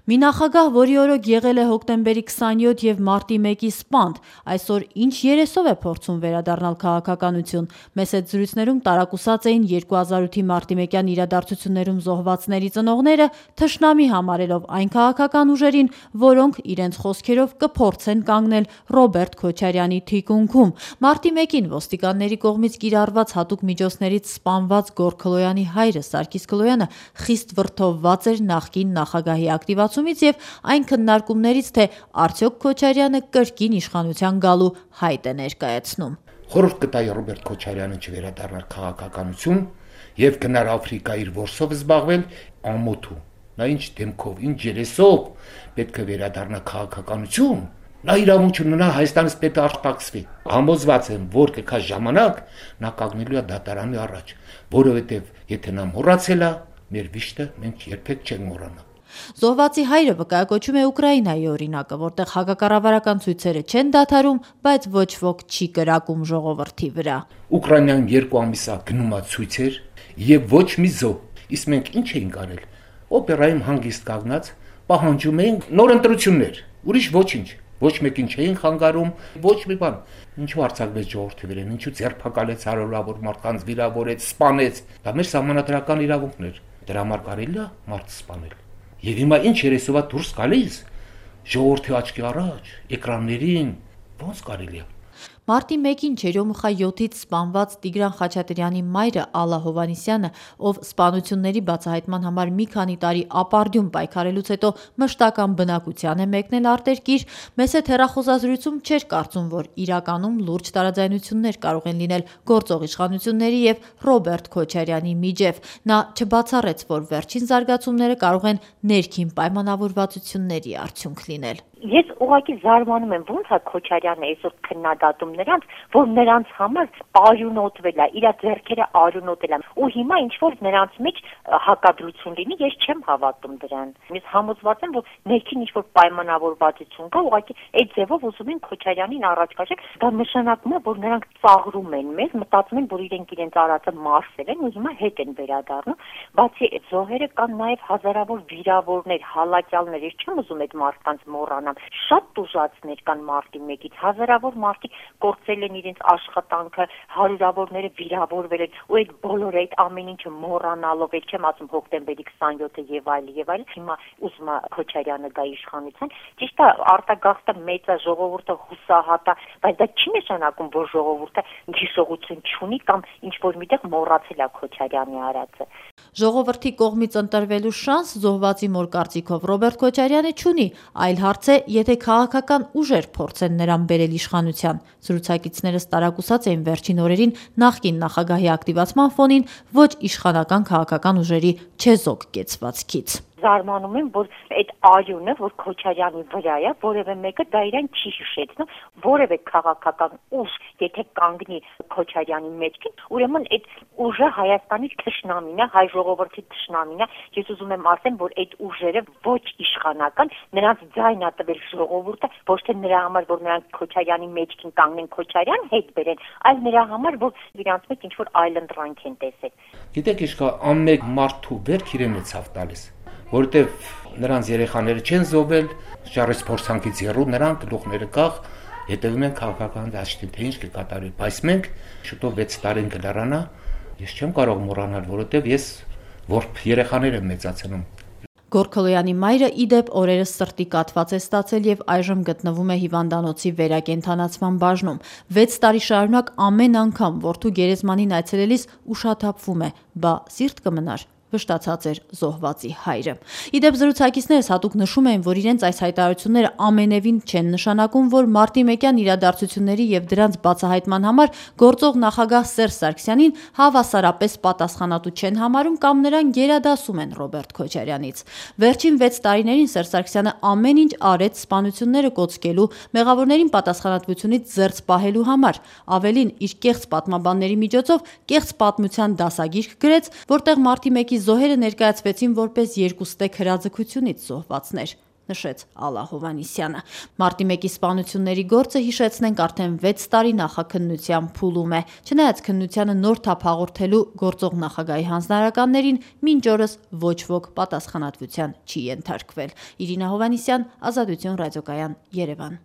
Մի նախագահ, որի օրոք եղել է հոկտեմբերի 27 և մարտի 1-ի սպանդ, այսօր ինչ երեսով է փորձում վերադառնալ քաղաքականություն։ Մեծ հետ զրույցներում տարակուսած էին 2008-ի մարտի 1-յան իրադարձություններում զոհվածների ծնողները, թշնամի համարելով այն քաղաքական ուժերին, որոնք իրենց խոսքերով կփորձեն կանգնել Ռոբերտ Քոչարյանի թիկունքում։ Մարտի 1-ին ոստիկանների կողմից կիրառված հատուկ միջոցներից սպանված Գոռ Քլոյանի հայրը Սարգիս Քլոյանը խիստ վրդովված էր նախկին նախագահի ակտիվացումից և այն քննարկումներից, թե արդյոք Քոչարյանը կրկին իշխանության գալու հայտ է ներկայացնում։ Խորհուրդ կտայի Ռոբերտ Քոչարյանը չվերադառնալ քաղաքականություն և գնալ Աֆրիկա իր որսով զբաղվել ամոթու։ Նա ինչ դեմքով, ինչ երեսով պետք է վերադառնա քաղաքականություն, նա իրավունք ունենա Հայաստանից պետք է արտաքսվի։ Համոզված եմ, որ կգա ժամանակ, նա կանգնելու է դատարանի առաջ, որովհետև եթե նա մոռացել է, մեր վիշտը մենք երբեք չենք մոռանա։ Զոհվածի հայրը վկայակոչում է Ուկրաինայի օրինակը, որտեղ հակակառավարական ցույցերը չեն դադարում, բայց ոչ ոք չի կրակում ժողովրդի վրա։ Ուկրաինայում 2 ամիս է գնում է ցույցեր եւ ոչ մի զոհ։ Իսկ մենք ինչ էինք արել։ Օպերայում հանգիստ կանգնած պահանջում էինք նոր ընտրություններ, ուրիշ ոչինչ։ Ոչ մեկին չէին խանգարում, ոչ մի բան։ Ինչու արձակվեց ժողովրդի վրա, ինչու ձերբակալեց հարյուրավոր մարդկանց, վիրավորեց, սպանեց։ Դա մեր սահմանադրական իրավունքն էր։ Դրա համար կարելի է մարդ սպանել։ Եվ հիմա ինչ երեսով է դուրս գալիս ժողովրդի աչքի առաջ, էկրաններին, ոնց կարելի է։ Մարտի 1-ին Չերյոմուխա 7-ից սպանված Տիգրան Խաչատրյանի մայրը Ալլա Հովհաննիսյանը, ով սպանությունների բացահայտման համար մի քանի տարի ապարդյուն պայքարելուց հետո մշտական բնակության է մեկնել արտերկիր, մեծ հետ հեռախոսազրույցում չէր կարծում, որ իրականում լուրջ տարաձայնություններ կարող են լինել գործող իշխանությունների և Ռոբերտ Քոչարյանի միջև։ Նա չբացառեց, որ վերջին զարգացումները կարող են ներքին պայմանավորվածությունների արդյունք լինել։ Ես ուղղակի զարմանում եմ, ոնց է Քոչարյանը այսօր քննադատում նրանց, որ նրանց համար արյունոտվել է, իր ձեռքերը արյունոտել են, ու հիմա ինչ որ նրանց մեջ հակադրություն լինի, ես չեմ հավատում դրան։ Ես համոզված եմ, որ ներքին ինչ որ պայմանավորվածություն կա, ուղղակի այդ ձևով ուզում են Քոչարյանին առաջ քաշել, դա նշանակում է, որ նրանք ծաղրում են մեզ, մտածում են, որ իրենք արածը մարսել են ու հիմա հետ են վերադառնում։ Բացի այդ զոհերը կան նաև հազարավոր վիրավորներ, հալածյալներ, ես չեմ ուզում այդ մարդկանց մոռանալ։ Շատ տուժածներ կան մարտի 1-ից, հազարավոր մարդիկ կորցրել են իրենց աշխատանքը, հարյուրավորները վիրավորվել են, ու այդ բոլորը այդ ամեն ինչը մոռանալով, այդ չեմ ասում հոկտեմբերի 27-ը եւ այլն, հիմա ուզում է Քոչարյանը գա իշխանության, ճիշտ է, արտագաղթը մեծ է, ժողովուրդը հուսահատ է, բայց դա չի նշանակում, որ ժողովուրդը հիշողություն չունի կամ ինչ որ միտեղ մոռացել է Քոչարյանի արածը։ Ժողովրդի կողմից ընտրվելու շանս զոհվածի մոր կարծիքով Ռոբերտ Քոչարյանը չունի, այլ հարց է, եթե քաղաքական ուժեր փորձեն նրան բերել իշխանության։ Զրուցակիցներս տարակուսած էին վերջին օրերին նախկին նախագահի ակտիվացման ֆոնին ոչ իշխանական քաղաքական ուժերի չեզոք կեցվածքից։ Զարմանում եմ, որ այդ արյունը, որ Քոչարյանի վրա է, որևէ մեկը դա իրեն չի հիշեցնում, որևէ քաղաքական ուժ, եթե կանգնի Քոչարյանի մեջքին, ուրեմն այդ ուժը Հայաստանի թշնամին է, հայ ժողովրդի թշնամին է։ Ես ուզում եմ ասեմ, որ այդ ուժերը ոչ իշխանական, նրանց ձայն է տվել ժողովուրդը, ոչ թե նրա համար, որ նրանք Քոչարյանի մեջքին կանգնեն, Քոչարյան հետ բերեն, այլ նրա համար, որ իրանց մեջ ինչ որ այլընտրանք են տեսել։ Գիտեք, իշքա ամեն մարդու վերք իրեն է ցավ տալիս, որտեվ նրանց երեխաները չեն զոհվել, շարժ փորձանքից եռու նրանք գլուխները կախ հետևում են քաղաքական դաշտին, թե ինչ կկատարվի, բայց մենք շուտով 6 տարին կլրանա, ես չեմ կարող մոռանալ, որովհետև ես որբ երեխաներ եմ մեծացնում։ Գոռ Քլոյանի մայրը իդեպ օրերս սրտի կաթված է ստացել եւ այժմ գտնվում է հիվանդանոցի վերակենդանացման բաժնում։ 6 տարի շարունակ ամեն անգամ որդու գերեզմանին այցելելիս ուշաթափվում է, բա սիրտ կմնար։ Վշտացած էր զոհվածի հայրը։ Իդեպ զրուցակիցներս հատուկ նշում էին, որ իրենց այս հայտարարությունները ամենևին չեն նշանակում, որ մարտի 1-յան իրադարձությունների եւ դրանց բացահայտման համար գործող նախագահ Սերժ Սարգսյանին հավասարապես պատասխանատու չեն համարում կամ նրան գերադասում են Ռոբերտ Քոչարյանից։ Վերջին 6 տարիներին Սերժ Սարգսյանը ամեն ինչ արեց սպանությունները կոծկելու, մեղավորներին պատասխանատվությունից զերծ պահելու համար։ Ավելին, իր կեղծ պատմաբանների միջոցով կեղծ պատմության դասագիրք գրեց, որտեղ մարտի 1-ի զոհերը ներկայացվեցին որպես երկուստեք հրաձգությունից զոհվածներ։ նշեց Ալլա Հովհաննիսյանը։ Մարտի 1-ի սպանությունների գործը, հիշեցնենք, արդեն 6 տարի նախաքննության փուլում է։ Չնայած քննությանը նոր թափ հաղորդելու գործող նախագահի հանձնարարականներին, մինչ օրս ոչ ոք պատասխանատվության չի ենթարկվել։ Իրինա Հովհաննիսյան, Ազատություն ռադիոկայան, Երևան։